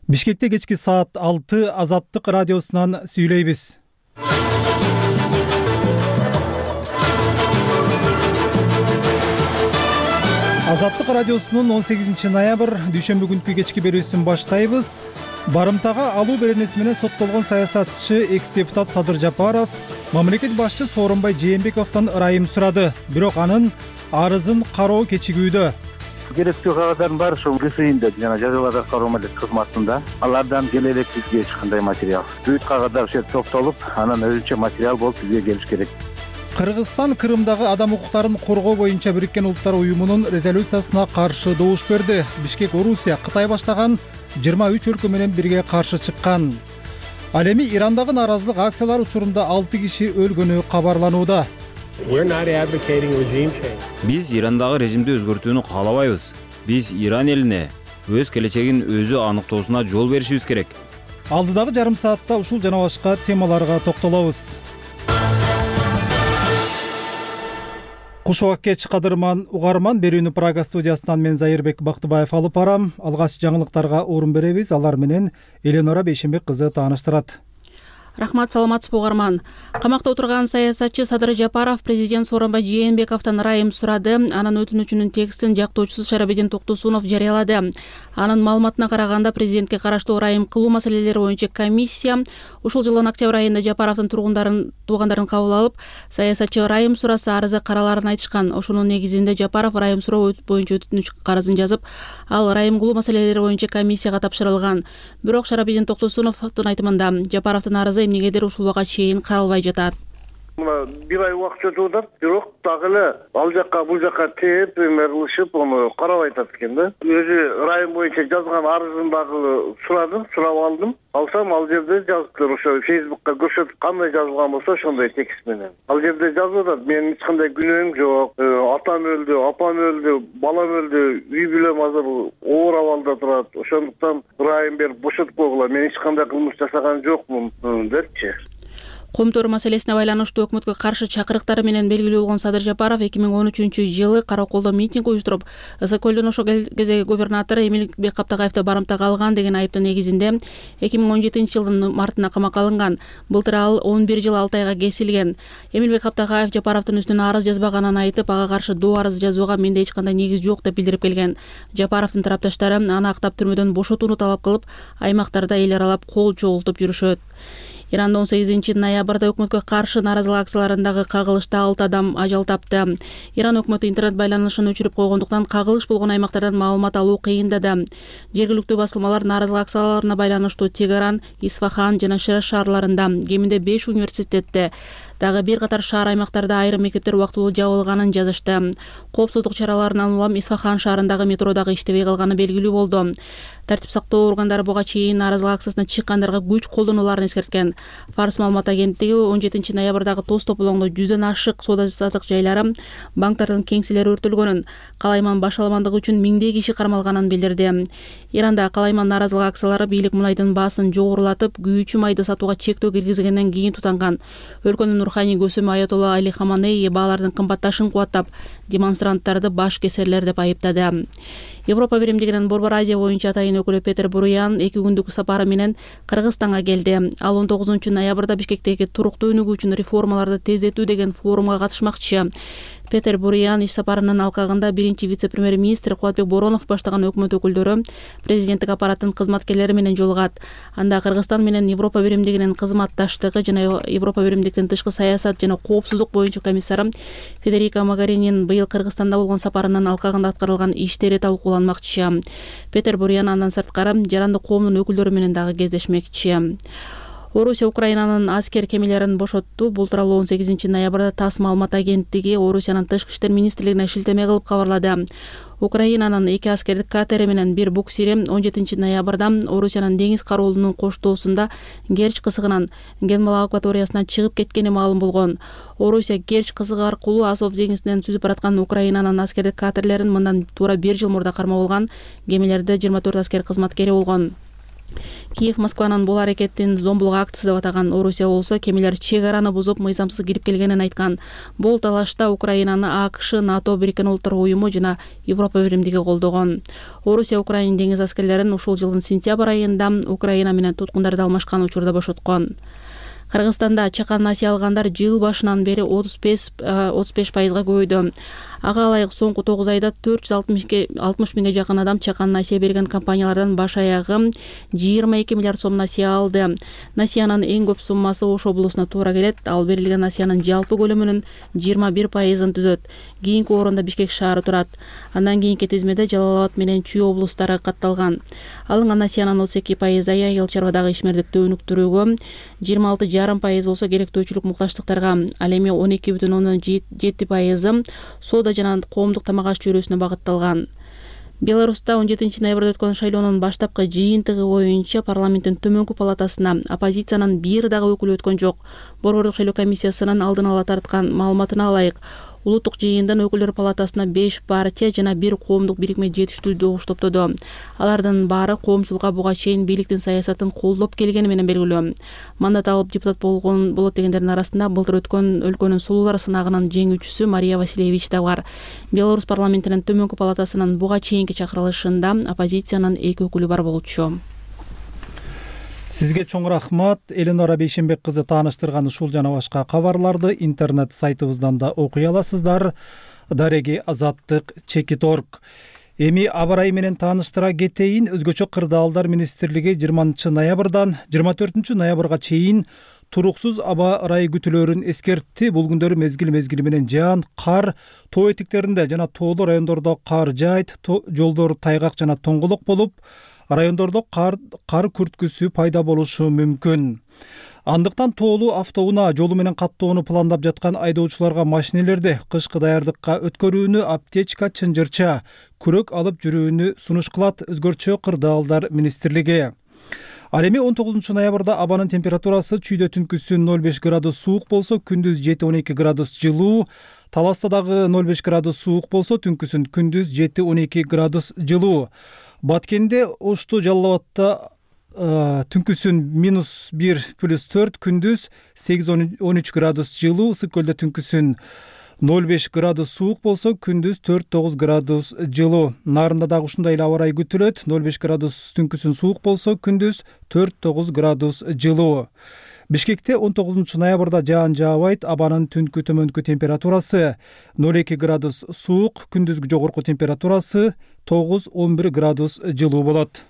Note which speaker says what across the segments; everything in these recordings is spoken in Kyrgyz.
Speaker 1: Бишкекте кечки саат 6 Азаттык радиосунан сүйлөйбүз. Азаттык радиосунун 18 ноябрь дүйшөмбү күнкү кечки берүүсүн баштайбыз. Барымтага алуу беренеси менен соттолгон саясатчы экс-депутат Садыр Жапаров мамлекет башчы Сооронбай Жээнбековдон ырайым сурады. Бирок анын арызын кароо кечигүүдө.
Speaker 2: Керектүү кагаздар бар ушул ГСИнде жана жазаларды аткаруу кызматында. Алардан келе элек бизге эч кандай материал. Бүт кагаздар ошол топтолуп, анан өзүнчө материал болуп бизге келиш керек.
Speaker 1: Кыргызстан Крымдагы адам укуктарын коргоо боюнча Бириккен Улуттар уюмунун резолюциясына каршы добуш берди. Бишкек Орусия Кытай баштаган 23 өлкө менен бирге каршы чыккан. Ал эми Ирандагы нааразылык акциялары учурунда 6 киши өлгөнү кабарланууда.
Speaker 3: Биз Ирандагы режимди өзгөртүүнү каалабайбыз. Биз Иран элине өз келечегин өзү аныктоосуна жол беришибиз керек.
Speaker 1: Алдыдагы жарым саатта ушул жана башка темаларга токтолобуз. Куш убакет кадырман угарман, берүүнү Прага студиясынан мен Зайырбек Бактыбаев алып барам. Алгач жаңылыктарга орун беребиз. Алар менен Эленора Бейшенбек кызы тааныштырат.
Speaker 4: Рахмат, саламатсызбы угарман. Камакта отурган саясатчы Садыр Жапаров президент Сооронбай Жээнбековдон ырайым сурады. Анын өтүнүчүнүн текстин жактоочусу Шарабидин Токтосунов жарыялады. Анын маалыматына караганда, президентке караштуу ырайым кылуу маселелери боюнча комиссия ушул жылдын октябрь айында Жапаровдун туугандарын кабыл алып, саясатчы ырайым сураса арызы караларын айтышкан. Ошонун негизинде Жапаров ырайым суроо боюнча өтүнүч карызын жазып, ал ырайым кылуу маселелери боюнча комиссияга тапшырылган. Бирок Шарабидин Токтосуновдун айтымында Жапаровдун арызы эмнегедир ушул убакка чейин каралбай жатат.
Speaker 5: Бир ай убакыт өтүп атат, бирок дагы эле ал жакка бул жакка тээп, ылышып, аны карабай атат экен да. Өзү ырайым боюнча жазган арызын дагы сурап алдым. Алсам, ал жерде жазыптыр, ошо Facebook'ка көрсөтүп, кандай жазылган болсо ошондой текст менен. Ал жерде жазып атат: менин эч кандай күнөөм жок, атам өлдү, апам өлдү, балам өлдү, үй бүлөм азыр оор абалда турат. Ошондуктан ырайым берип бошотуп койгула, мен эч кандай кылмыш жасаган жокмун депчи.
Speaker 4: Коомдор маселесине байланыштуу өкмөткө каршы чакырыктары менен белгилүү болгон Садыр Жапаров 2013-жылы Караколдо митинг уюштуруп, Ысык-Көлдөн ошол кездеги губернатор Эмилбек Каптагаевди барымтага алган деген айыптын негизинде 2017-жылдын мартында камакка алынган. Былтыр ал 11 жыл 6 айга кесилген. Эмилбек Каптагаев Жапаровдун үстүнө арыз жазбаганын айтып, ага каршы доо арыз жазууга менде эч кандай негиз жок деп билдирип келген. Жапаровдун тарапташтары аны актап түрмөдөн бошотууну талап кылып, аймактарда эл аралап кол чогултуп жүрүшөт. Иранда 18 ноябрда өкмөткө каршы нааразылык акцияларындагы кагылышта 6 адам ажал тапты. Иран өкмөтү интернет байланышын өчүрүп койгондуктан кагылыш болгон аймактардан маалымат алуу кыйындады. Жергиликтүү басылмалар нааразылык акцияларына байланыштуу Тегеран, Исфахан жана Шираз шаарларында, кеминде 5 университетте, дагы бир катар шаар аймактарда айрым мектептер убактылуу жабылганын жазышты. Коопсуздук чараларынан улам Исфахан шаарындагы метро дагы иштебей калганы белгилүү болду. Тартип сактоо органдары буга чейин нааразылык акциясына чыккандарга күч колдонуларын эскерткен. Фарс маалымат агенттиги 17 ноябрдагы тоз тополоңдо 100дөн ашык соода-саттык жайлары, банктардын кеңселери өртөлгөнүн, калайман башаламандыгы үчүн миңдей киши кармалганын билдирди. Иранда калайман нааразылык акциялары бийлик мунайдын баасын жогорулатып, күйүүчү майды сатууга чектөө киргизгенден кийин тутанган. Өлкөнүн руханий көсөмү Аятолла Али Хаманеи баалардын кымбатташын кубаттап, демонстранттарды баш кесерлер деп айыптады. Европа биримдигинин Борбор Азия боюнча атайын өкүлү Петер Буруян 2 күндүк сапары менен Кыргызстанга келди. Ал 19 ноябрда Бишкектеги туруктуу өнүгүү үчүн реформаларды тездетүү деген форумга катышмакчы. Петер Буруян иш сапарынын алкагында биринчи вице-премьер-министр Кубатбек Боронов баштаган өкмөт өкүлдөрү, президенттик аппараттын кызматкерлери менен жолугат. Анда Кыргызстан менен Европа биримдигинин кызматташтыгы жана Европа биримдиктин тышкы саясат жана коопсуздук боюнча комиссары Федерика Могаринин быйыл Кыргызстанда болгон сапарынын алкагында аткарылган иштери талкууланмакчы. Петер Буруян андан сырткары жарандык коомдун өкүлдөрү менен дагы кездешмекчи. Орусия Украинанын аскер кемелерин бошотту. Бул тууралуу 18 ноябрда ТАСС маалымат агенттиги Орусиянын тышкы иштер министрлигине шилтеме кылып кабарлады. Украинанын 2 аскердик катери менен 1 буксири 17 ноябрда Орусиянын деңиз кароолунун коштоосунда Керч кысыгынан Генмал акваториясына чыгып кеткени маалым болгон. Орусия Керч кысыгы аркылуу Азов деңизинен сүзүп бараткан Украинанын аскердик катерлерин мындан туура 1 жыл мурда кармап алган. Кемелерде 24 аскер кызматкери болгон. Киев Москванын бул аракетин зомбулук акциясы деп атаган. Орусия болсо кемелер чек араны бузуп мыйзамсыз кирип келгенин айткан. Бул талашта Украинаны АКШ, НАТО, Бириккен Улуттар уюму жана Европа биримдиги колдогон. Орусия Украина деңиз аскерлерин ушул жылдын сентябрь айында Украина менен туткундарды алмашкан учурда бошоткон. Кыргызстанда чакан насыя алгандар жыл башынан бери 35% көбөйдү. Ага ылайык соңку 9 айда 460 миңге жакын адам чакан насыя берген компаниялардан баш аягы 22 миллиард сом насыя алды. Насыянын эң көп суммасы Ош облусуна туура келет. Ал берилген насыянын жалпы көлөмүнүн 21%-ын түзөт. Кийинки орунда Бишкек шаары турат. Андан кийинки тизмеде Жалал Абад менен Чүй облустары катталган. Алынган насыянын 32% айыл чарбадагы ишмердикти өнүктүрүүгө, 26,5% болсо керектөөчүлүк муктаждыктарга, ал эми 12,7% соода жана коомдук тамак аш чөйрөсүнө багытталган. Беларуста 17 ноябрда өткөн шайлоонун баштапкы жыйынтыгы боюнча парламенттин төмөнкү палатасына оппозициянын бир дагы өкүлү өткөн жок. Борбордук шайлоо комиссиясынын алдын ала тарткан маалыматына ылайык, улуттук жыйындан өкүлдөр палатасына 5 партия жана 1 коомдук бирикме жетиштүү добуш топтоду. Алардын баары коомчулукка буга чейин бийликтин саясатын колдоп келгени менен белгилүү. Мандат алып депутат болот дегендердин арасында былтыр өткөн өлкөнүн сулуулар сынагынын жеңүүчүсү Мария Васильевич да бар. Беларусь парламентинин төмөнкү палатасынын буга чейинки чакырылышында оппозициянын 2 өкүлү бар болчу.
Speaker 1: Сизге чоң рахмат. Эленора Бейшенбек кызы тааныштырган ушул жана башка кабарларды интернет сайтыбыздан да окуй аласыздар. Дареги Азаттык _org. Эми аба ырайы менен тааныштыра кетейин. Өзгөчө кырдаалдар министрлиги 20 ноябрдан 24 ноябрга чейин туруксуз аба ырайы күтүлөрүн эскертти. Бул күндөрү мезгил менен жаан, кар, тоо этектеринде жана тоолуу райондордо кар жаайт, жолдор тайгак жана тоңголок болуп, райондордо кар күрткүсү пайда болушу мүмкүн. Андыктан тоолуу автоунаа жолу менен каттоону пландап жаткан айдоочуларга машинелерди кышкы даярдыкка өткөрүүнү, аптечка, чынжырча, күрөк алып жүрүүнү сунуш кылат Өзгөрчө кырдаалдар министрлиги. Ал эми 19 ноябрда абанын температурасы чүйдө түнкүсүн 0,5 градус суук болсо, күндүз 7-12 градус жылуу, Таласта дагы 0,5 градус суук болсо, түнкүсүн күндүз 7-12 градус жылуу. Баткенде, Ошту, Жалал Абадта түнкүсүн -1+4, күндүз 8-13 градус жылуу, Ысык көлдө түнкүсүн 0,5 градус суук болсо, күндүз 4-9 градус жылуу. Нарында дагы ушундай эле аба ырайы күтүлөт. 0,5 градус түнкүсүн суук болсо, күндүз 4-9 градус жылуу. Бишкекте 19 ноябрда жаан жаабайт. Абанын түнкү төмөнкү температурасы 0,2 градус суук, күндүзгү жогорку температурасы 9-11 градус жылуу болот.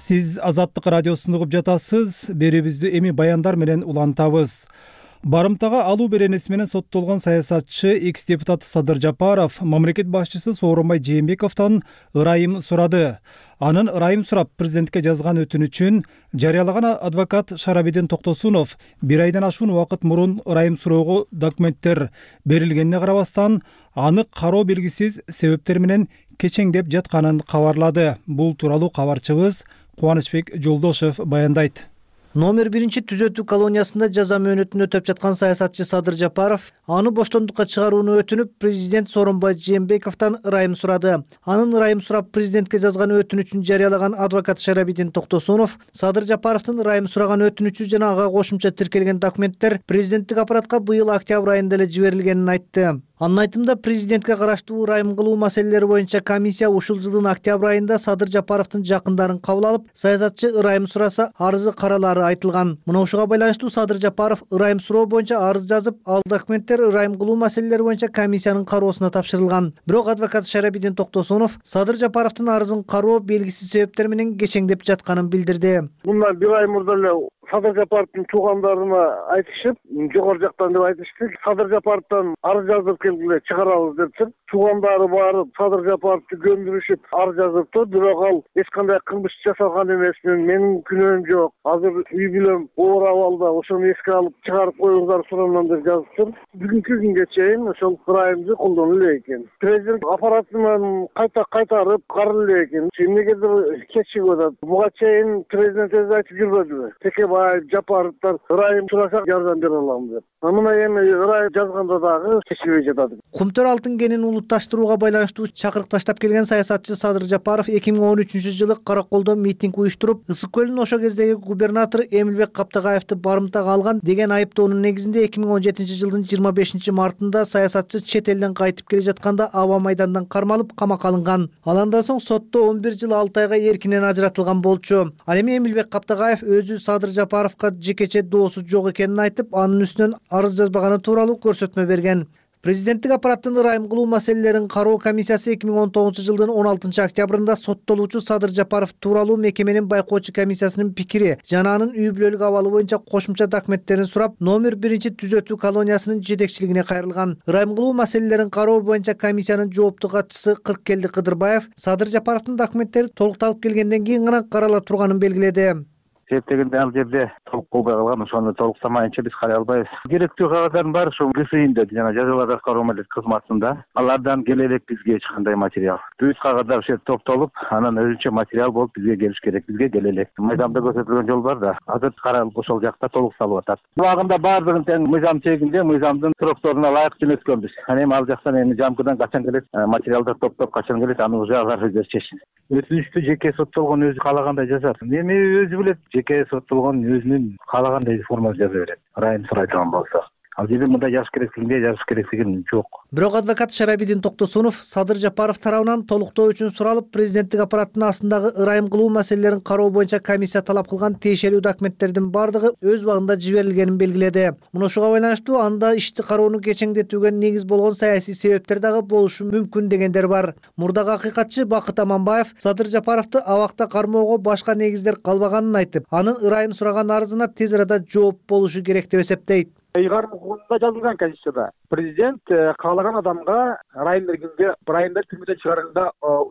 Speaker 1: Сиз Азаттык радиосун угуп жатасыз. Берибизди эми баяндар менен улантабыз. Барымтага алуу беренеси менен соттолгон саясатчы экс-депутат Садыр Жапаров мамлекет башчысы Сооронбай Жээнбековдон ырайым сурады. Анын ырайым сурап президентке жазган өтүнүчүн жарыялаган адвокат Шарабидин Токтосунов 1 айдан ашуун убакыт мурун ырайым суроого документтер берилгенине карабастан, аны кароо белгисиз себептер менен кечеңдеп жатканын кабарлады. Бул тууралуу кабарчыбыз Кубанычбек Жолдошев баяндайт.
Speaker 6: Номер 1 түзөтүү колониясында жаза мөөнөтүн өтөп жаткан саясатчы Садыр Жапаров аны боштондукка чыгарууну өтүнүп, президент Сооронбай Жээнбековдон ырайым сурады. Анын ырайым сурап президентке жазган өтүнүчүн жарыялаган адвокат Шарабидин Токтосунов Садыр Жапаровдун ырайым сураган өтүнүчү жана ага кошумча тиркелген документтер президенттик аппаратка быйыл октябрь айында эле жиберилгенин айтты. Анын айтымында президентке караштуу ырайым кылуу маселелери боюнча комиссия ушул жылдын октябрь айында Садыр Жапаровдун жакындарын кабыл алып, саясатчы ырайым сураса, арызы каралары айтылган. Мына ушуга байланыштуу Садыр Жапаров ырайым суроо боюнча арыз жазып, ал документтер ырайым кылуу маселелери боюнча комиссиянын кароосуна тапшырылган. Бирок адвокат Шарабидин Токтосунов Садыр Жапаровдун арызын кароо белгисиз себептер менен кечеңдеп жатканын билдирди.
Speaker 5: Мындан 1 ай мурда эле Садыр Жапаровдун туугандарына айтышып, жогору жактан деп айтышты. Садыр Жапаровдон арыз жазып келгиле чыгарабыз депчи. туугандары барып Садыр Жапаровду көмдүрүшүп ар жазыптыр, бирок ал эч кандай кылмыш жасалган эмес, менин күнөөм жок, азыр үй бүлөм оор абалда, ошону эске алып чыгарып коюңуздар сураман деп жазыптыр. Бүгүнкү күнгө чейин ошол ырайымды колдонулу эле экен. Президент аппаратынан кайтарып каралуу эле экен. Эмнегедир кечигип атат. Буга чейин президент өзү айтып жүрбөдүбү? Текебаев, Жапаровдор ырайым сурасак жардам бере алам деп. Мына эми ырайым жазганда дагы чечилбей жатат.
Speaker 6: Кумтөр алтын кенин улутташтырууга байланыштуу чакырык таштап келген саясатчы Садыр Жапаров 2013-жылы Караколдо митинг уюштуруп, Ысык көлдүн ошо кездеги губернатору Эмилбек Каптагаевди барымтага алган деген айыптоонун негизинде 2017-жылдын 25-мартында саясатчы чет элден кайтып келе жатканда аба майдандан кармалып камакка алынган. Ал андан соң сотто 11 жыл 6 айга эркинен ажыратылган болчу. Ал эми Эмилбек Каптагаев өзү Садыр Жапаровго жекече доосу жок экенин айтып, анын үстүнөн арыз жазбаганы тууралуу көрсөтмө берген. Президенттик аппараттын ырайым кылуу маселелерин кароо комиссиясы 2019-жылдын 16-октябрында соттолуучу Садыр Жапаров тууралуу мекеменин байкоочу комиссиясынын пикири жана анын үй бүлөлүк абалы боюнча кошумча документтерин сурап, номер 1-түзөтүү колониясынын жетекчилигине кайрылган. Ырайым кылуу маселелерин кароо боюнча комиссиянын жооптуу катчысы Кыркелди Кыдырбаев Садыр Жапаровдун документтери толукталып келгенден кийин гана карала турганын белгиледи.
Speaker 2: Себептегенде ал жерде толук болбой калган, ошону толуктамайынча биз карай албайбыз. Керектүү кагаздар бар, ушул ГСИнде жана жазаларда кароо кызматында. Алардан келе элек бизге эч кандай материал. Бүт кагаздар ошо жерде топтолуп, анан өзүнчө материал болуп бизге келиш керек. Бизге келе элек. Мыйзамда көрсөтүлгөн жол бар да. Азыр каралып ошол жакта толукталып атат. Убагында баардыгын тең мыйзам чегинде, мыйзамдын срокторуна ылайык жөнөткөнбүз. Анан эми ал жактан жамкыдан качан келет, материалдар топтоп качан келет, аны уже алар өздөрү чечsin. Өтүнүчтү жеке соттолгон өзү каалагандай жазат. Эми өзү билет, жеке соттолгон өзүнүн каалагандай формада жаза берет. Ырайым сурайдыган болсо. Ал жерде мындай жазыш керектигинде жазыш керектиги жок.
Speaker 6: Бирок адвокат Шарабидин Токтосунов Садыр Жапаров тарабынан толуктоо үчүн суралып, президенттик аппараттын астындагы ырайым кылуу маселелерин кароо боюнча комиссия талап кылган тиешелүү документтердин бардыгы өз убагында жиберилгенин белгиледи. Муну ушуга байланыштуу анда ишти кароону кечеңдетүүгө негиз болгон саясий себептер дагы болушу мүмкүн дегендер бар. Мурдагы акыйкатчы Бакыт Аманбаев Садыр Жапаровду абакта кармоого башка негиздер калбаганын айтып, анын ырайым сураган арызына тез арада жооп болушу керек деп эсептейт.
Speaker 7: Ыйгарым укугунда жазылган Конституцияда президент каалаган адамга ырайым бергенге ырайым берип түрмөдөн чыгарганда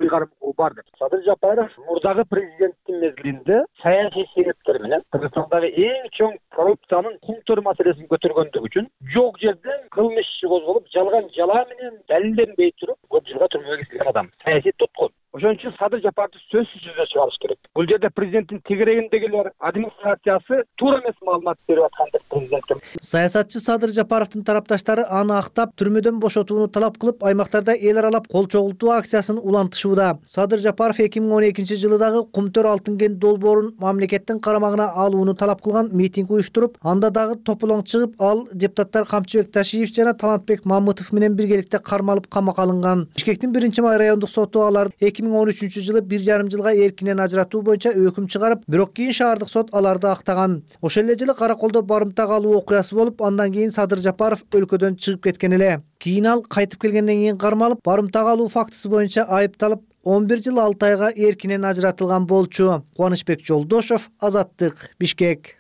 Speaker 7: ыйгарым укугу бар деп. Садыр Жапаров мурдагы президенттин мезгилинде саясий себептер менен Кыргызстандагы эң чоң коррупциянын кумтөр маселесин көтөргөндүгү үчүн жок жерден кылмыш иши козголуп, жалган жала менен далилденбей туруп көп жылга түрмөгө кирген адам. Саясий туткун. Ошон үчүн Садыр Жапаровду сөзсүз түрдө чыгарыш керек. Бул жерде президенттин тегерегиндегилер администрациясы туура эмес маалымат берип аткан деп президентке.
Speaker 6: Саясатчы Садыр Жапаровдун тарапташтары аны актап, түрмөдөн бошотууну талап кылып, аймактарда эл аралап кол чогултуу акциясын улантышууда. Садыр Жапаров 2012-жылы дагы Кумтөр алтын кен долбоорун мамлекеттин карамагына алууну талап кылган митинг уюштуруп, анда дагы тополоң чыгып, ал депутаттар Камчыбек Ташиев жана Талантбек Мамытов менен биргеликте кармалып камакка алынган. Бишкектин 1-май райондук соту аларды 2013-жылы 1,5 жылга эркинен ажыратуу боюнча өкүм чыгарып, бирок кийин шаардык сот аларды актаган. Ошол эле жылы Караколдо барымтага алуу окуясы болуп, андан кийин Садыр Жапаров өлкөдөн чыгып кеткен эле. Кийин ал кайтып келгенден кийин кармалып, барымтага алуу фактысы боюнча айыпталып, 11 жыл 6 айга эркинен ажыратылган болчу. Кубанычбек Жолдошов, Азаттык, Бишкек.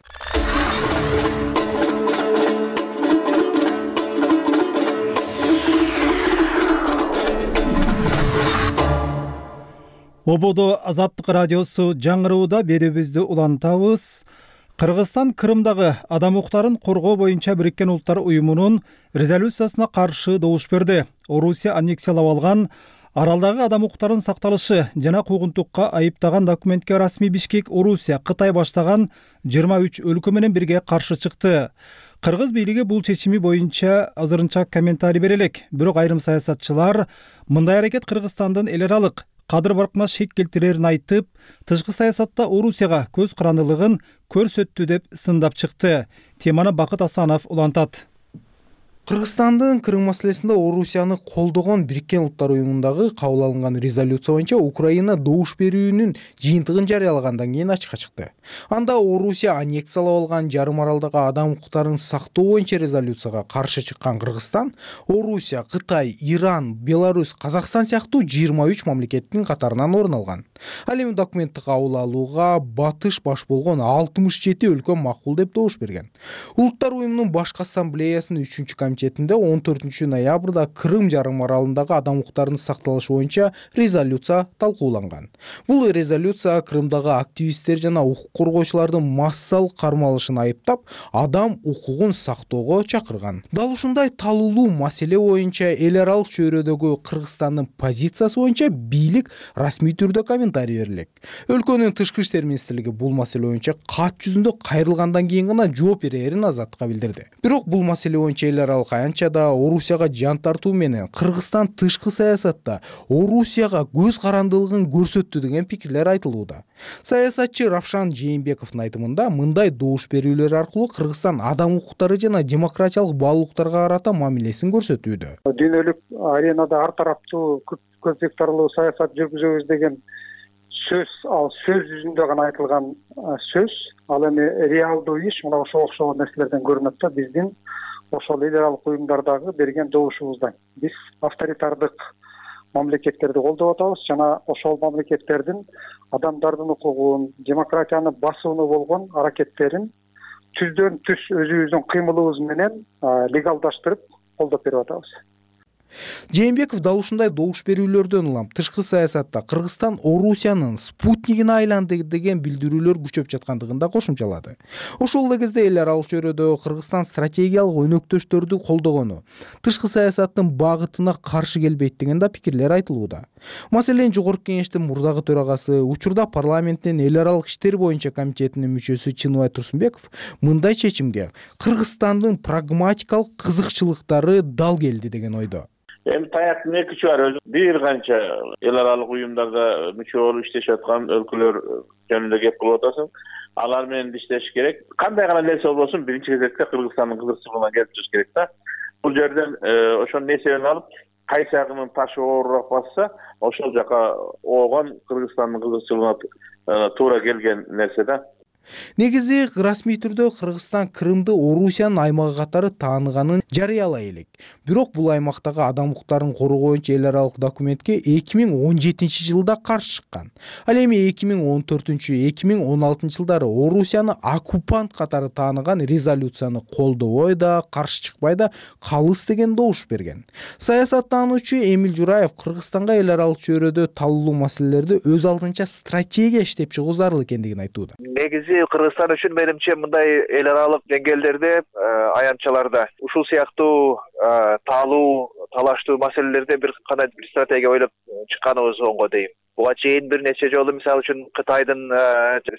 Speaker 1: Ободо Азаттык радиосу жаңырууда берүүбүздү улантабыз. Кыргызстан Крымдагы адам укуктарын коргоо боюнча Бириккен Улуттар уюмунун резолюциясына каршы добуш берди. Орусия аннексиялап алган аралдагы адам укуктарын сакталышы жана куугунтукка айыптаган документке расмий Бишкек, Орусия, Кытай баштаган 23 өлкө менен бирге каршы чыкты. Кыргыз бийлиги бул чечими боюнча азырынча комментарий бере элек. Бирок айрым саясатчылар мындай аракет Кыргызстандын эл аралык кадыр баркына шек келтирерин айтып, тышкы саясатта Орусияга көз карандылыгын көрсөттү деп сындап чыкты. Теманы Бакыт Асанов улантат.
Speaker 8: Кыргызстандын Крым маселесинде Орусияны колдогон Бириккен Улуттар уюмундагы кабыл алынган резолюция боюнча Украина добуш берүүнүн жыйынтыгын жарыялагандан кийин ачыкка чыкты. Анда Орусия аннексиялап алган жарым аралдагы адам укуктарын сактоо боюнча резолюцияга каршы чыккан Кыргызстан, Орусия, Кытай, Иран, Беларусь, Казакстан сыяктуу 23 мамлекеттин катарынан орун алган. Ал эми документти кабыл алууга батыш баш болгон 67 өлкө макул деп добуш берген. Улуттар уюмунун башкы ассамблеясынын 3-комитети комитетинде 14 ноябрда Крым жарым аралындагы адам укуктарынын сакталышы боюнча резолюция талкууланган. Бул резолюция Крымдагы активисттер жана укук коргоочулардын массалык кармалышын айыптап, адам укугун сактоого чакырган. Дал ушундай талуулуу маселе боюнча эл аралык чөйрөдөгү Кыргызстандын позициясы боюнча бийлик расмий түрдө комментарий берилек. Өлкөнүн тышкы иштер министрлиги бул маселе боюнча кат жүзүндө кайрылгандан кийин гана жооп берерин Азаттыкка билдирди. Бирок бул маселе боюнча эл аралык аянтчада Орусияга жан тартуу менен Кыргызстан тышкы саясатта Орусияга көз карандылыгын көрсөттү деген пикирлер айтылууда. Саясатчы Равшан Жээнбековдун айтымында мындай добуш берүүлөр аркылуу Кыргызстан адам укуктары жана демократиялык баалуулуктарга карата мамилесин көрсөтүүдө.
Speaker 7: Дүйнөлүк аренада ар тараптуу көз сектарлуу саясат жүргүзөбүз деген сөз, ал сөз жүзүндө гана айтылган сөз. Ал эми реалдуу иш мына ошо окшогон нерселерден көрүнөт да биздин ошол эл аралык уюмдардагы берген добушубуздан. Биз авторитардык мамлекеттерди колдоп атабыз жана ошол мамлекеттердин адамдардын укугун, демократияны басууну болгон аракеттерин түздөн түз өзүбүздүн кыймылыбыз менен легалдаштырып колдоп берип атабыз.
Speaker 8: Жээнбеков дал ушундай добуш берүүлөрдөн улам тышкы саясатта Кыргызстан Орусиянын спутнигине айланды деген билдирүүлөр күчөп жаткандыгын да кошумчалады. Ошол эле кезде эл аралык чөйрөдө Кыргызстан стратегиялык өнөктөштөрдү колдогону тышкы саясаттын багытына каршы келбейт деген да пикирлер айтылууда. Маселен, Жогорку Кеңештин мурдагы төрагасы, учурда парламенттин эл аралык иштер боюнча комитетинин мүчөсү Чыныбай Турсунбеков мындай чечимге Кыргызстандын прагматикалык кызыкчылыктары дал келди деген ойдо.
Speaker 9: Эми таяктын эки учу бар. Бир канча эл аралык уюмдарда мүчө болуп иштешип аткан өлкөлөр жөнүндө кеп кылып атасың. Алар менен иштеш керек. Кандай гана нерсе болбосун, биринчи кезекте Кыргызстандын кызыкчылыгына келип чыгыш керек да. Бул жерден ошонун эсебин алып, кайсы жагынын ташы оорураак басса, ошол жака оогон Кыргызстандын кызыкчылыгына туура келген нерсе да.
Speaker 8: Негизи расмий түрдө Кыргызстан Крымды Орусиянын аймагы катары тааныганын жарыялай элек. Бирок бул аймактагы адам укуктарын коргоо боюнча эл аралык документке 2017-жылда каршы чыккан. Ал эми 2014-2016 жылдары Орусияны оккупант катары тааныган резолюцияны колдобой да, каршы чыкпай да калыс деген добуш берген. Саясаттануучу Эмиль Жураев Кыргызстанга эл аралык чөйрөдө талуулуу маселелерди өз алдынча стратегия иштеп чыгуу зарыл экендигин айтууда.
Speaker 10: Негизи Кыргызстан үчүн менимче мындай эл аралык деңгээлдерде, аянтчаларда ушул сыяктуу талаштуу маселелерде бир кандай стратегия ойлоп чыкканыбыз оңго дейм. Буга чейин бир нече жолу мисалы үчүн Кытайдын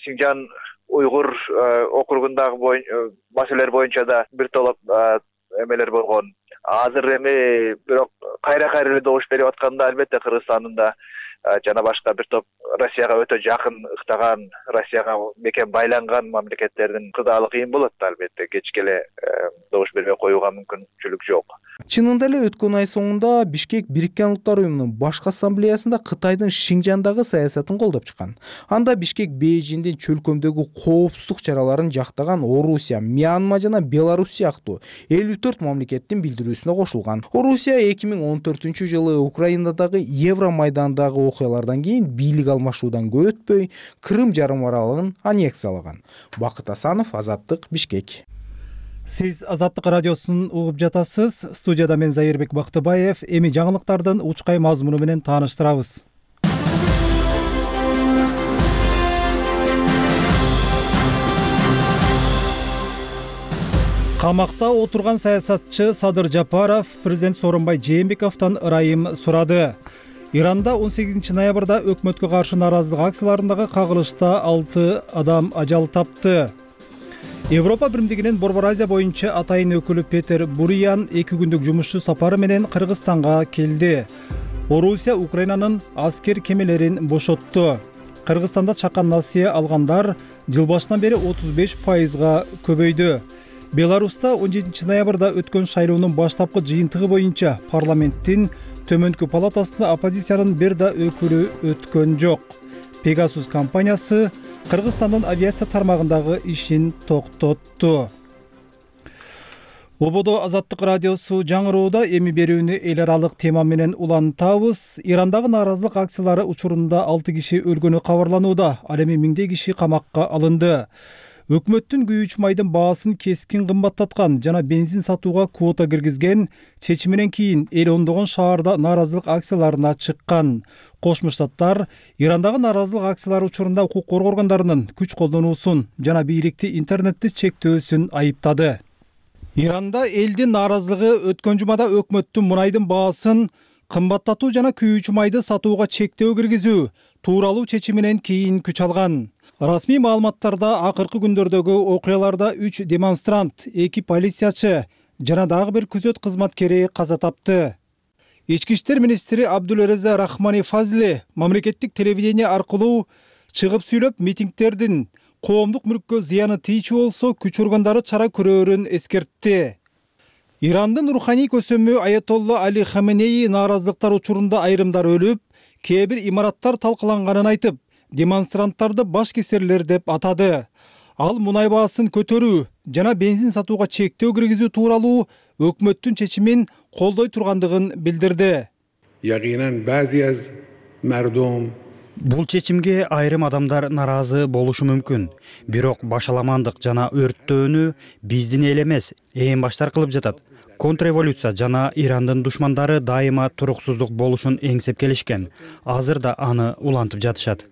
Speaker 10: Синжан уйгур округундагы маселелер боюнча да бир толоп эмелер болгон. Азыр эми бирок кайра эле добуш берип атканда албетте Кыргызстандын да жана башка бир топ Россияга өтө жакын ыктаган, Россияга мекен байланган мамлекеттердин кыдаалы кыйын болот да албетте. Кечке эле добуш бербей коюуга мүмкүнчүлүк жок.
Speaker 8: Чынында эле өткөн ай соңунда Бишкек Бириккен Улуттар уюмунун башкы ассамблеясында Кытайдын Шинжандагы саясатын колдоп чыккан. Анда Бишкек Бейжиңдин чөлкөмдөгү коопсуздук чараларын жактаган Орусия, Мьянма жана Беларусь сыяктуу 54 мамлекеттин билдирүүсүнө кошулган. Орусия 2014-жылы Украинадагы Евромайдандагы окуялардан кийин бийлик алмашуудан көп өтпөй Крым жарым аралын аннексиялаган. Бакыт Асанов, Азаттык, Бишкек.
Speaker 1: Сиз Азаттык радиосун угуп жатасыз. Студияда мен Зайырбек Бактыбаев. Эми жаңылыктардын учкай мазмуну менен тааныштырабыз. Камакта отурган саясатчы Садыр Жапаров президент Сооронбай Жээнбековдон ырайым сурады. Иранда 18 ноябрда өкмөткө каршы нааразылык акцияларындагы кагылышта 6 адам ажал тапты. Европа биримдигинин Борбор Азия боюнча атайын өкүлү Петер Буриян 2 күндүк жумушчу сапары менен Кыргызстанга келди. Орусия Украинанын аскер кемелерин бошотту. Кыргызстанда чакан насыя алгандар жыл башынан бери 35%га көбөйдү. Беларуста 17 ноябрда өткөн шайлоонун баштапкы жыйынтыгы боюнча парламенттин төмөнкү палатасына оппозициянын бир да өкүлү өткөн жок. Pegasus компаниясы Кыргызстандын авиация тармагындагы ишин токтотту. Ободо Азаттык радиосу жаңырууда эми берүүнү эл аралык тема менен улантабыз. Ирандагы нааразылык акциялары учурунда 6 киши өлгөнү кабарланууда. Ал эми миңдей киши камакка алынды. өкмөттүн күйүүчү майдын баасын кескин кымбаттаткан жана бензин сатууга квота киргизген чечиминен кийин эл ондогон шаарда нааразылык акцияларына чыккан. Кошмо Штаттар Ирандагы нааразылык акциялары учурунда укук коргоо органдарынын күч колдонуусун жана бийликти интернетти чектөөсүн айыптады. Иранда элдин нааразылыгы өткөн жумада өкмөттүн мунайдын баасын кымбаттатуу жана күйүүчү майды сатууга чектөө киргизүү тууралуу чечиминен кийин күч алган. Расмий маалыматтарда акыркы күндөрдөгү окуяларда 3 демонстрант, 2 полициячы жана дагы бир күзөт кызматкери каза тапты. Ички иштер министри Абдулреза Рахмани Фазли мамлекеттик телевидение аркылуу чыгып сүйлөп, митингдердин коомдук мүлккө зыяны тийчү болсо күч органдары чара көрөрүн эскертти. Ирандын руханий көсөмү Аятолла Али Хаменеи нааразылыктар учурунда айрымдар өлүп, кээ бир имараттар талкаланганын айтып, демонстранттарды баш кесерлер деп атады. Ал мунай баасын көтөрүү жана бензин сатууга чектөө киргизүү тууралуу өкмөттүн чечимин колдой тургандыгын билдирди.
Speaker 11: Ягинан баъзи аз мардум
Speaker 12: Бул чечимге айрым адамдар наразы болушу мүмкүн. Бирок башаламандык жана өрттөөнү биздин эл эмес, эң баштар кылып жатат. Контрреволюция жана Ирандын душмандары дайыма туруксуздук болушун эңсеп келишкен. Азыр да аны улантып жатышат.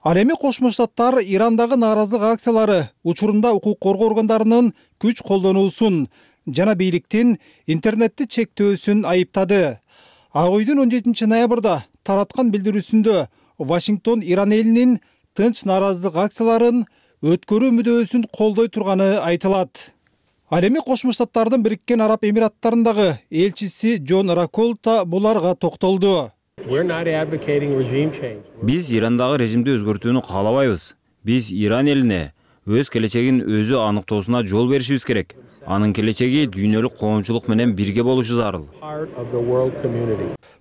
Speaker 1: Ал эми Кошмо Штаттар Ирандагы нааразылык акциялары учурунда укук коргоо органдарынын күч колдонуусун жана бийликтин интернетти чектөөсүн айыптады. Ак үйдүн 17 ноябрда тараткан билдирүүсүндө Вашингтон Иран элинин тынч нааразылык акцияларын өткөрүү мүдөөсүн колдой турганы айтылат. Ал эми Кошмо Штаттардын Бириккен Араб Эмираттарындагы элчиси Джон Раколта буларга токтолду.
Speaker 3: Биз Ирандагы режимди өзгөртүүнү каалабайбыз. Биз Иран элине өз келечегин өзү аныктоосуна жол беришибиз керек. Анын келечеги дүйнөлүк коомчулук менен бирге болушу зарыл.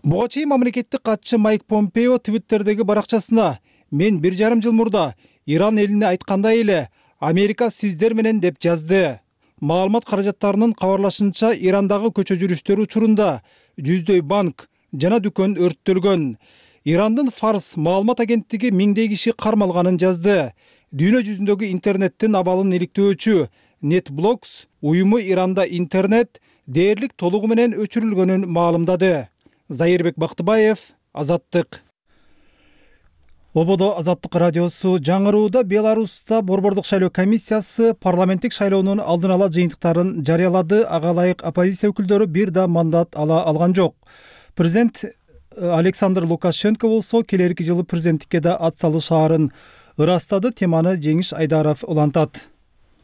Speaker 1: Буга чейин мамлекеттик катчы Майк Помпео Твиттердеги баракчасына мен 1,5 жыл мурда Иран элине айткандай эле Америка сиздер менен деп жазды. Маалымат каражаттарынын кабарлашынча Ирандагы көчө жүрүштөр учурунда жүздөй банк жана дүкөн өрттөлгөн. Ирандын Фарс маалымат агенттиги миңдей киши кармалганын жазды. Дүйнө жүзүндөгү интернеттин абалын иликтөөчү NetBlocks уюму Иранда интернет дээрлик толугу менен өчүрүлгөнүн маалымдады. Зайырбек Бактыбаев, Азаттык. Ободо Азаттык радиосу жаңырууда Беларуста борбордук шайлоо комиссиясы парламенттик шайлоонун алдын ала жыйынтыктарын жарыялады. Ага ылайык оппозиция өкүлдөрү бир да мандат ала алган жок. Президент Александр Лукашенко болсо келерки жылы президенттикке да ат салышаарын ырастады. Теманы Жеңиш Айдаров улантат.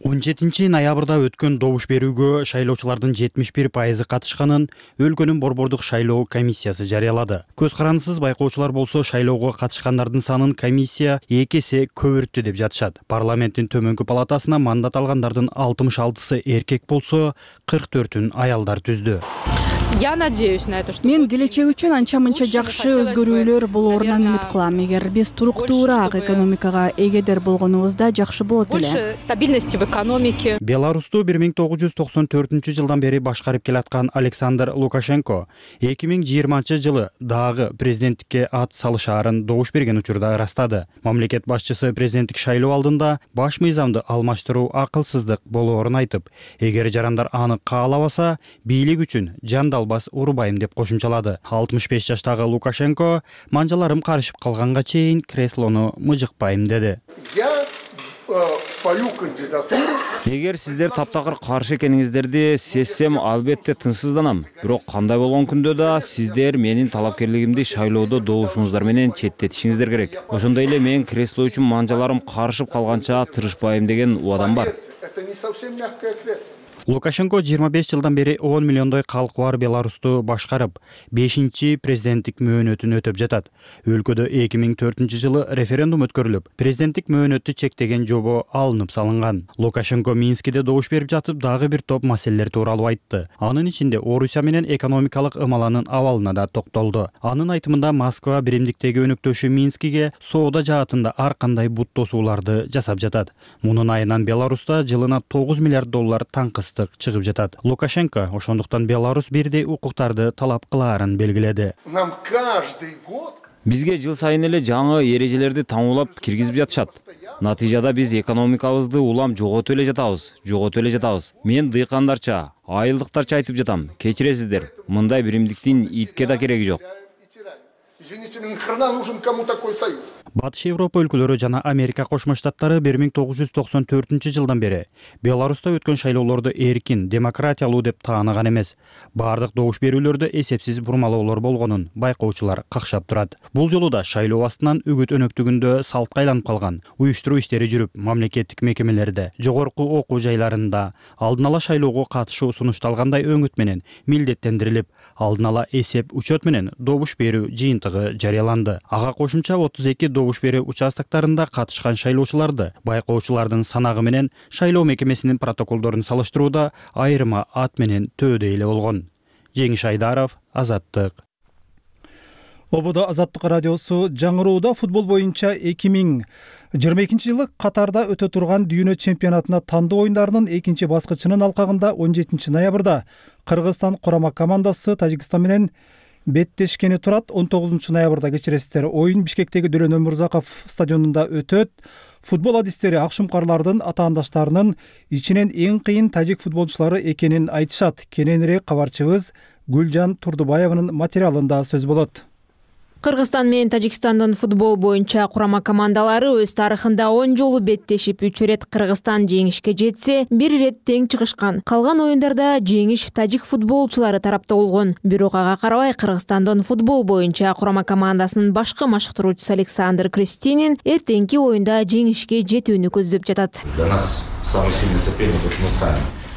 Speaker 12: 17 ноябрда өткөн добуш берүүгө шайлоочулардын 71% катышканын өлкөнүн борбордук шайлоо комиссиясы жарыялады. Көз карандысыз байкоочулар болсо шайлоого катышкандардын санын комиссия 2 эсе көбүрттү деп жатышат. Парламенттин төмөнкү палатасына мандат алгандардын 66-сы эркек болсо, 44-ün аялдар түздү.
Speaker 13: Я надеюсь на это, что
Speaker 14: мен келечек үчүн анча-мынча жакшы өзгөрүүлөр болоорунан үмүт кылам. Эгер биз туруктуураак экономикага эгедер болгонубузда жакшы болот эле.
Speaker 13: больше стабильности в экономике.
Speaker 12: Беларусту 1994-жылдан бери башкарып келаткан Александр Лукашенко 2020-жылы дагы президенттикке ат салышаарын добуш берген учурда ырастады. Мамлекет башчысы президенттик шайлоо алдында баш мыйзамды алмаштыруу акылсыздык болоорун айтып, эгер жарандар аны каалабаса, бийлик үчүн жандалбас урубайм деп кошумчалады. 65 жаштагы Лукашенко манжаларым карышып калганга чейин креслону мыжыкпайм деди.
Speaker 3: Эгер сиздер таптакыр каршы экениңиздерди сезсем, албетте тынчсызданам. Бирок кандай болгон күндө да сиздер менин талапкерлигимди шайлоодо добушуңуздар менен четтетишиңиздер керек. Ошондой эле мен кресло үчүн манжаларым карышып калганча тырышпайм деген убадам бар.
Speaker 12: Лукашенко 25 жылдан бери 10 миллиондой калкы бар Беларусту башкарып, 5-чи президенттик мөөнөтүн өтөп жатат. Өлкөдө 2004-жылы референдум өткөрүлүп, президенттик мөөнөттү чектеген жобо алынып салынган. Лукашенко Минскиде добуш берип жатып, дагы бир топ маселелер тууралуу айтты. Анын ичинде Орусия менен экономикалык ымаланын абалына да токтолду. Анын айтымында Москва биримдиктеги өнөктөшү Минскиге соода жаатында ар кандай бут тосууларды жасап жатат. Мунун айынан Беларуста жылына $9 миллиард таңкыстык чыгып жатат. Лукашенко ошондуктан Беларус бирдей укуктарды талап кылаарын белгиледи.
Speaker 3: Бизге жыл сайын эле жаңы эрежелерди таңуулап киргизип жатышат. Натыйжада биз экономикабызды улам жоготуп эле жатабыз. Мен дыйкандарча, айылдыктарча айтып жатам. Кечиресиздер. Мындай биримдиктин итке да кереги жок.
Speaker 15: Извините, мне нахрена нужен кому такой союз?
Speaker 12: Батыш Европа өлкөлөрү жана Америка Кошмо Штаттары 1994 бери Беларуста өткөн шайлоолорду эркин, демократиялуу деп тааныган эмес. Бардык добуш берүүлөрдө эсепсиз бурмалоолор болгонун байкоочулар какшап турат. Бул жолу да шайлоо астынан үгүт өнөктүгүндө салтка айланып калган. Уюштуруу иштери жүрүп, мамлекеттик мекемелерде, жогорку окуу жайларында алдын ала шайлоого катышуу сунушталгандай өңүт менен милдеттендирилип, алдын ала эсеп учет менен добуш берүү жыйынтыгы жарыяланды. Ага кошумча 32 добуш берүү участоктарында катышкан шайлоочуларды байкоочулардын санагы менен шайлоо мекемесинин протоколдорун салыштырууда айырма ат менен төөдө эле болгон. Жеңиш Айдаров, Азаттык.
Speaker 1: ОБД Азаттык радиосу жаңырууда футбол боюнча 2022-жылы Катарда өтө турган дүйнө чемпионатына тандоо оюндарынын экинчи баскычынын алкагында 17 ноябрда Кыргызстан курама командасы Тажикстан менен беттешкени турат. 19 ноябрда кечиресиздер. Оюн Бишкектеги Дөрөн Өмүрзаков стадионунда өтөт. Футбол адистери акшумкарлардын атаандаштарынын ичинен эң кыйын тажик футболчулары экенин айтышат. Кененирээк кабарчыбыз Гүлжан Турдубаеванын материалында сөз болот.
Speaker 16: Кыргызстан менен Тажикстандын футбол боюнча курама командалары өз тарыхында 10 жолу беттешип, 3 ирет Кыргызстан жеңишке жетсе, 1 ирет тең чыгышкан. Калган оюндарда жеңиш тажик футболчулары тарапта болгон. Бирок ага карабай Кыргызстандын футбол боюнча курама командасынын башкы машыктыруучусу Александр Кристинин эртеңки оюнда жеңишке жетүүнү көздөп жатат.
Speaker 17: Для нас самый сильный соперник — мы сами.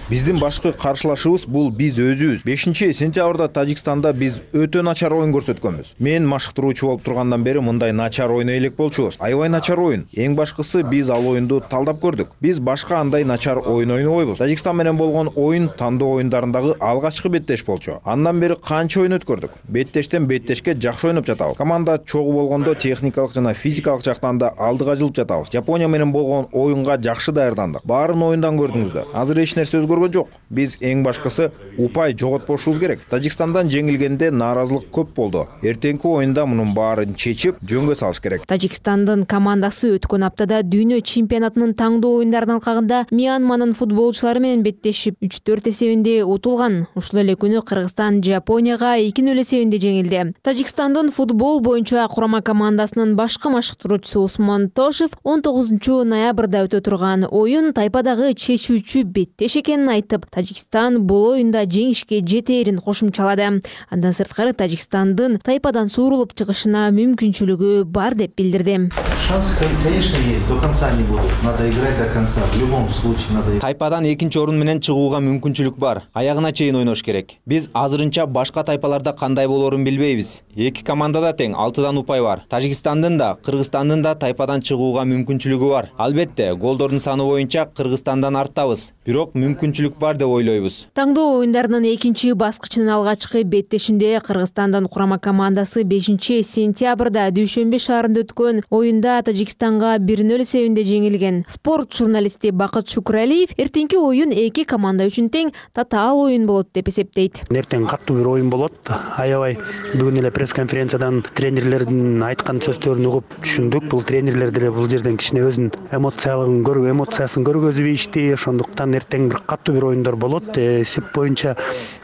Speaker 18: Биздин башкы каршылашыбыз бул биз өзүбүз. 5-сентябрда Тажикстанда биз өтө начар оюн көрсөткөнбүз. Мен машыктыруучу болуп тургандан бери мындай начар ойной элек болчубуз. Аябай начар оюн. Эң башкысы биз ал оюнду талдап көрдүк. Биз башка андай начар оюн ойнобойбуз. Тажикстан менен болгон оюн тандоо оюндарындагы алгачкы беттеш болчу. Андан бери канча оюн өткөрдүк. Беттештен беттешке жакшы ойноп жатабыз. Команда чогуу болгондо техникалык жана физикалык жактан да алдыга жылып жатабыз. Жапония менен болгон оюнга жакшы даярдандык. Баарын оюндан көрдүңүздөр. Азыр эч нерсе өзгөргөн жок. Биз эң башкысы упай жоготпошубуз керек. Тажикстандан жеңилгенде нааразылык көп болду. Эртеңки оюнда мунун баарын чечип, жөнгө салыш керек.
Speaker 16: Тажикстандын командасы өткөн аптада дүйнө чемпионатынын таңдоо оюндарынын алкагында Мьянманын футболчулары менен беттешип 3-4 эсебинде утулган. Ушул эле күнү Кыргызстан Жапонияга 2-0 эсебинде жеңилди. Тажикстандын футбол боюнча курама командасынын башкы машыктыруучусу Усман Тошев 19 ноябрда өтө турган оюн тайпадагы чечүүчү беттеш экенин айтып, Тажикстан бул оюнда жеңишке жетээрин кошумчалады. Андан сырткары Тажикстандын тайпадан суурулуп чыгышына мүмкүнчүлүгү бар деп билдирди.
Speaker 17: Шанс, конечно, есть, до конца не будет. Надо играть до конца. В любом случае надо.
Speaker 19: Тайпадан экинчи орун менен чыгууга мүмкүнчүлүк бар. Аягына чейин ойнош керек. Биз азырынча башка тайпаларда кандай болоорун билбейбиз. Эки командада тең 6 упай бар. Тажикстандын да, Кыргызстандын да тайпадан чыгууга мүмкүнчүлүгү бар. Албетте, голдордун саны боюнча Кыргызстандан арттабыз. Бирок мүмкүнчүлүк бар деп ойлойбуз.
Speaker 16: Таңдоо оюндарынын экинчи баскычынын алгачкы беттешинде Кыргызстандын курама командасы 5-сентябрда Дүйшөмбү шаарында өткөн оюнда Тажикстанга 1-0 эсебинде жеңилген. Спорт журналисти Бакыт Шукуралиев эртеңки оюн эки команда үчүн тең татаал оюн болот деп эсептейт.
Speaker 20: Эртең каттуу бир оюн болот. Аябай бүгүн эле пресс-конференциядан тренерлердин айткан сөздөрүн угуп түшүндүк. Бул тренерлер деле бул жерден кичине өзүнүн эмоциясын көргөзүп ишти. Ошондуктан эртең бир каттуу бир оюндар болот. Эсеп боюнча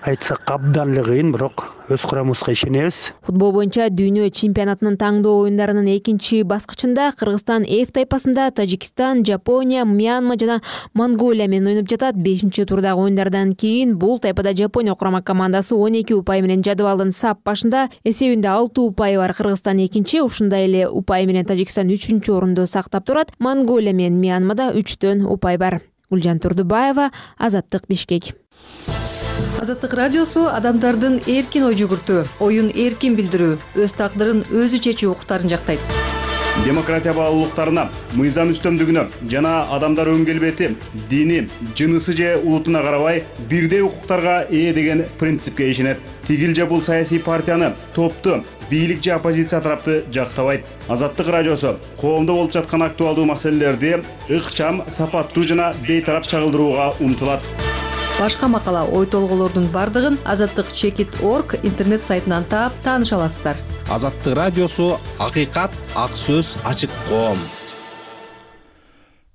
Speaker 20: айтсак абдан эле кыйын, бирок өз курамыбызга ишенебиз.
Speaker 16: Футбол боюнча дүйнө чемпионатынын таңдоо оюндарынын экинчи баскычында Кыргызстан F тайпасында Тажикстан, Жапония, Мьянма жана Монголия менен ойноп жатат. 5-турдагы оюндардан кийин бул тайпада Жапония курама командасы 12 упай менен жадыбалдын сап башында. Эсебинде 6 упай бар. Кыргызстан экинчи, ушундай эле упай менен Тажикстан 3-орунду сактап турат. Монголия менен Мьянмада 3 упай бар. Гүлжан Турдубаева, Азаттык, Бишкек.
Speaker 21: Азаттык радиосу адамдардын эркин ой жүгүртүү, оюн эркин билдирүү, өз тагдырын өзү чечүү укуктарын жактайт.
Speaker 22: Демократия баалуулуктарына, мыйзам үстөмдүгүнө жана адамдар өң келбети, дини, жынысы же улутуна карабай бирдей укуктарга ээ деген принципке ишенет. Тигил же бул саясий партияны, топту, бийлик же оппозиция тарапты жактабайт. Азаттык радиосу коомдо болуп жаткан актуалдуу маселелерди ыкчам, сапаттуу жана бейтарап чагылдырууга умтулат.
Speaker 21: Башка макала, ой толголордун бардыгын Азаттык Check It.org интернет сайтынан таап тааныша аласыздар.
Speaker 4: Азаттык радиосу, акыйкат, ак сөз, ачык коом.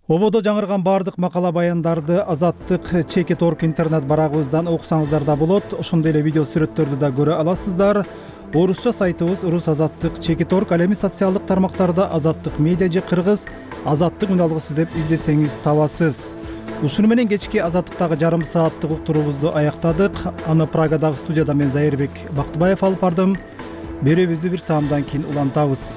Speaker 1: Ободо жаңырган баардык макала баяндарды Азаттык Чекит.орг интернет барагыбыздан окусаңыздар да болот. Ошондой эле видео сүрөттөрдү да көрө аласыздар. Орусча сайтыбыз Рус Азаттык Чекит.орг, ал эми социалдык тармактарда Азаттык медиа же кыргыз Азаттык үн алгысы деп издесеңиз табасыз. Ушуну менен кечки Азаттыктагы жарым сааттык уктуруубузду аяктадык. Аны Прагадагы студияда мен Зайырбек Бактыбаев алып бардым. Берүүбүздү бир саамдан кийин улантабыз.